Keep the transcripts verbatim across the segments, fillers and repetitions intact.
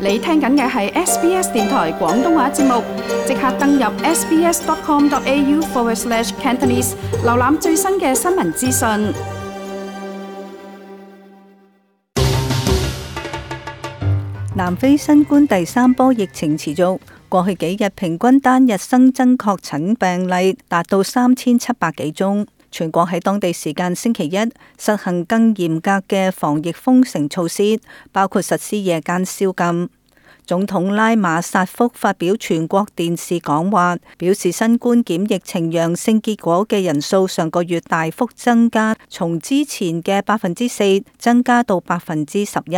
你聽緊嘅係 S B S 電台廣東話節目，即刻登入 sbs.com.au forward slash Cantonese， 瀏覽最新嘅新聞資訊。南非新冠第三波疫情持續，過去幾日平均單日新增確診病例達到三千七百幾宗。全國喺當地時間星期一實行更嚴格嘅防疫封城措施，包括實施夜間宵禁。總統拉馬薩福發表全國電視講話，表示新冠檢疫呈陽性結果嘅人數上個月大幅增加，從之前嘅百分之四增加到百分之十一。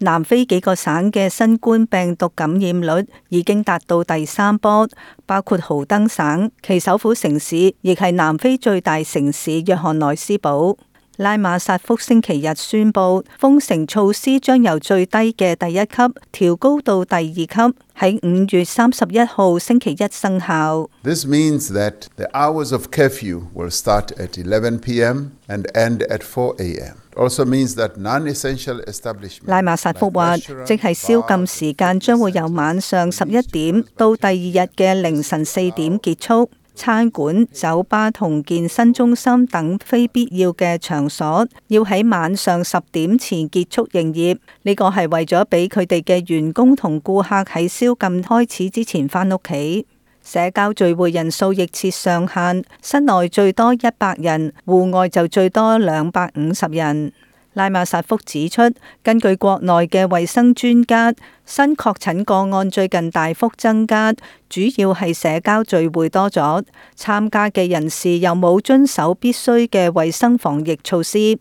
南非幾個省嘅新冠病毒感染率已經達到第三波，包括豪登省，其首府城市亦係南非最大城市約翰內斯堡。拉馬薩福星期日宣布，封城措施將由最低嘅第一級調高到第二級，喺五月三十一號星期一生效。This means that the hours of curfew will start at eleven p m and end at four a m。Also means that non-essential establishments。拉馬薩福話，即係宵禁時間將會由晚上十一點到第二日嘅凌晨四點結束。餐館、酒吧同健身中心等非必要嘅場所要喺晚上十點前結束營業。呢個係為咗俾佢哋嘅員工同顧客喺宵禁開始之前返屋企。社交聚會人數亦設上限，室內最多一百人，戶外就最多兩百五十人。拉馬薩福指出，根據國內嘅衛生專家，新確診個案最近大幅增加，主要係社交聚會多咗，參加嘅人士又冇遵守必須嘅衛生防疫措施。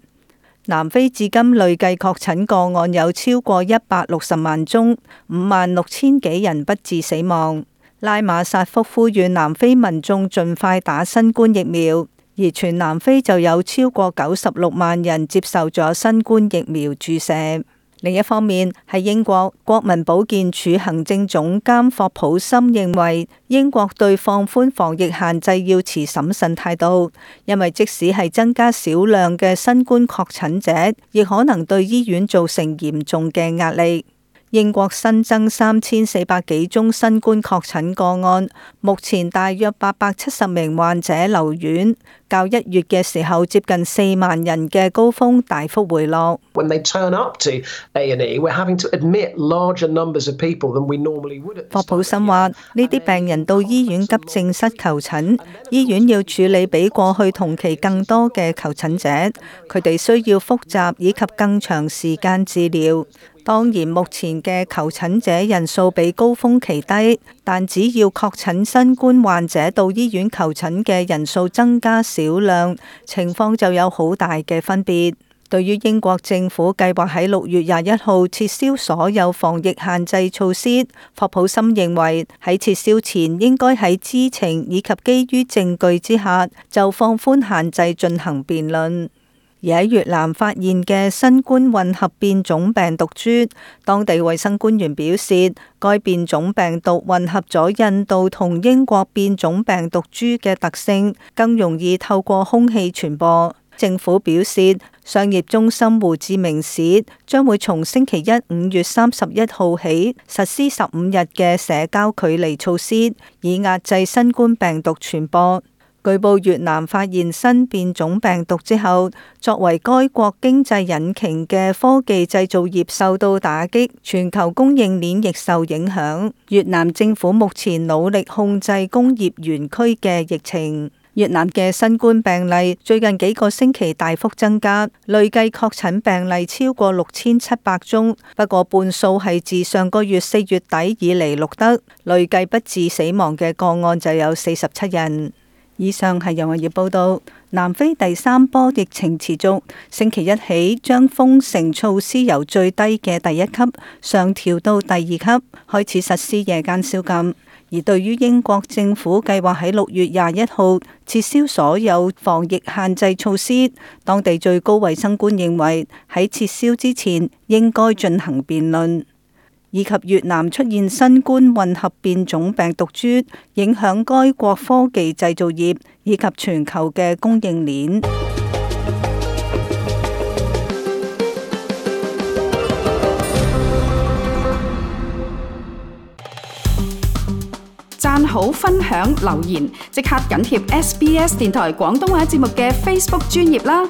南非至今累計確診個案有超過一百六十萬宗，五萬六千幾人不治死亡。拉馬薩福呼籲南非民眾盡快打新冠疫苗。而全南非就有超過九十六萬人接受咗新冠疫苗注射。另一方面，喺英國，國民保健署行政總監霍普森認為，英國對放寬防疫限制要持審慎態度，因為即使係增加少量嘅新冠確診者，亦可能對醫院造成嚴重嘅壓力。英國新增三千四百幾宗新冠確診個案，目前大約八百七十名患者留院，較一月嘅時候接近四萬人嘅高峰大幅回落。When they turn up to A and E, we're having to admit larger numbers of people than we normally would. 霍普森話：呢啲病人到醫院急症室求診，醫院要處理比過去同期更多嘅求診者，佢哋需要複雜以及更長時間治療。當然，目前嘅求診者人數比高峰期低，但只要確診新冠患者到醫院求診嘅人數增加少量，情況就有好大嘅分別。對於英國政府計劃喺六月廿一號撤銷所有防疫限制措施，霍普森認為喺撤銷前應該喺知情以及基於證據之下就放寬限制進行辯論。而喺越南發現嘅新冠混合變種病毒株，當地衛生官員表示，該變種病毒混合咗印度同英國變種病毒株嘅特性，更容易透過空氣傳播。政府表示，商業中心胡志明市將會從星期一五月三十一號起實施十五日嘅社交距離措施，以壓制新冠病毒傳播。據報越南發現新變種病毒之後，作為該國經濟引擎嘅科技製造業受到打擊，全球供應鏈亦受影響。越南政府目前努力控制工業園區嘅疫情。越南嘅新冠病例最近幾個星期大幅增加，累計確診病例超過六千七百宗，不過半數係自上個月四月底以嚟錄得，累計不治死亡嘅個案就有四十七人。以上係由我要報道。南非第三波疫情持續，星期一起將封城措施由最低嘅第一級上調到第二級，開始實施夜間宵禁。而對於英國政府計劃喺六月廿一號撤銷所有防疫限制措施，當地最高衛生官認為喺撤銷之前應該進行辯論。以及越南出現新冠混合變種病毒株，影響該國科技製造業以及全球嘅供應鏈。讚好、分享、留言，即刻緊貼 S B S 電台廣東話節目嘅 Facebook 專頁啦！